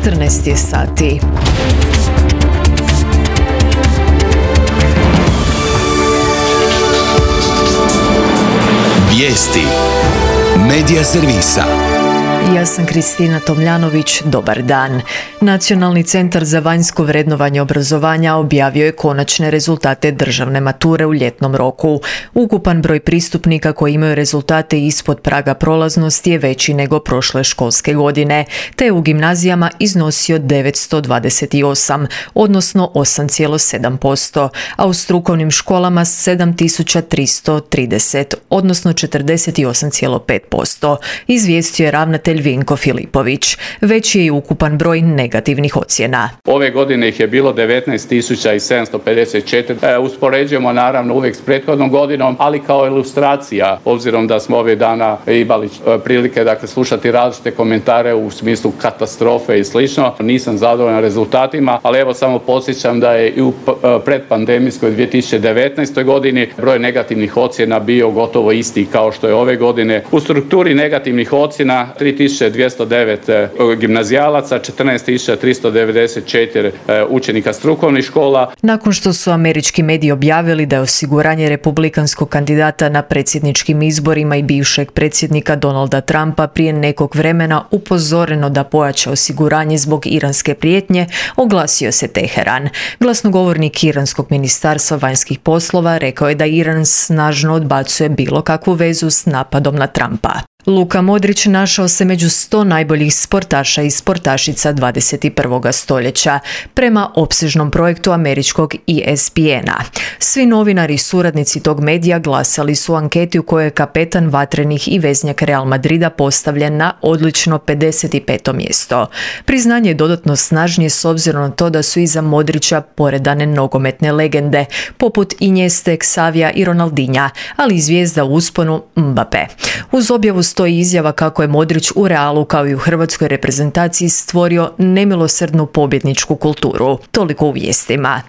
14 je sati. Vijesti Medija servisa. Ja sam Kristina Tomljanović, dobar dan. Nacionalni centar za vanjsko vrednovanje obrazovanja objavio je konačne rezultate državne mature u ljetnom roku. Ukupan broj pristupnika koji imaju rezultate ispod praga prolaznosti je veći nego prošle školske godine, te je u gimnazijama iznosio 928, odnosno 8,7%, a u strukovnim školama 7330, odnosno 48,5%, izvijestio je ravnatelj Vinko Filipović. Veći je i ukupan broj negativnih ocjena. Ove godine ih je bilo 19.754. Uspoređujemo naravno uvijek s prethodnom godinom, ali kao ilustracija, obzirom da smo ove dana imali prilike slušati različite komentare u smislu katastrofe i slično. Nisam zadovoljan rezultatima, ali evo samo podsjećam da je i u predpandemijskoj 2019. godini broj negativnih ocjena bio gotovo isti kao što je ove godine. U strukturi negativnih ocjena 3209 gimnazijalaca, 14394 učenika strukovnih škola. Nakon što su američki mediji objavili da je osiguranje republikanskog kandidata na predsjedničkim izborima i bivšeg predsjednika Donalda Trumpa prije nekog vremena upozoreno da pojača osiguranje zbog iranske prijetnje, oglasio se Teheran. Glasnogovornik iranskog ministarstva vanjskih poslova rekao je da Iran snažno odbacuje bilo kakvu vezu s napadom na Trumpa. Luka Modrić našao se među 100 najboljih sportaša i sportašica 21. stoljeća, prema opsežnom projektu američkog ESPN-a. Svi novinari i suradnici tog medija glasali su u anketi u kojoj je kapetan vatrenih i veznjak Real Madrida postavljen na odlično 55. mjesto. Priznanje je dodatno snažnije s obzirom na to da su iza Modrića poredane nogometne legende, poput Inieste, Xavija i Ronaldinha, ali i zvijezda u usponu Mbappé. Uz objavu stoji izjava kako je Modrić u Realu kao i u hrvatskoj reprezentaciji stvorio nemilosrdnu pobjedničku kulturu. Toliko u vijestima.